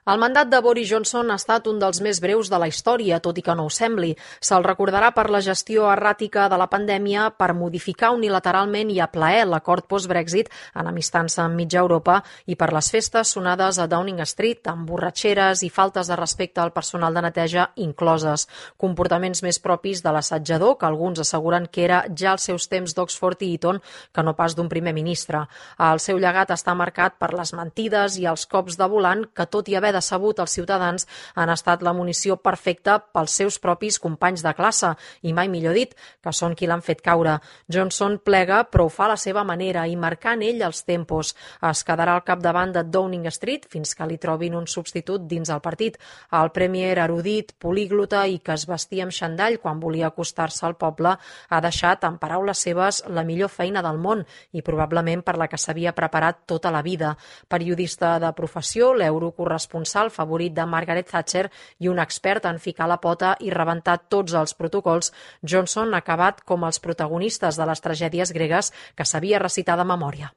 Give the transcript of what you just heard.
El mandat de Boris Johnson ha estat un dels més breus de la història, tot i que no ho sembli. Se'l recordarà per la gestió erràtica de la pandèmia, per modificar unilateralment i a plaer l'acord post-Brexit, enemistant-se amb mitja Europa, i per les festes sonades a Downing Street, amb borratxeres i faltes de respecte al personal de neteja incloses. Comportaments més propis de l'assetjador, que alguns asseguren que era ja als seus temps d'Oxford i Eton, que no pas d'un primer ministre. El seu llegat està marcat per les mentides i els cops de volant que, tot i haver decebut els ciutadans, han estat la munició perfecta pels seus propis companys de classe, i mai millor dit, que són qui l'han fet caure. Johnson plega, però ho fa a la seva manera i marcant ell els tempos. Es quedarà al capdavant de Downing Street fins que li trobin un substitut dins el partit. El premier erudit, políglota i que es vestia amb xandall quan volia acostar-se al poble ha deixat, en paraules seves, la millor feina del món i probablement per la que s'havia preparat tota la vida. Periodista de professió, l'eurocorresponsal favorit de Margaret Thatcher i un expert en ficar la pota i rebentar tots els protocols, Johnson ha acabat com els protagonistes de les tragèdies gregues que sabia recitar de memòria.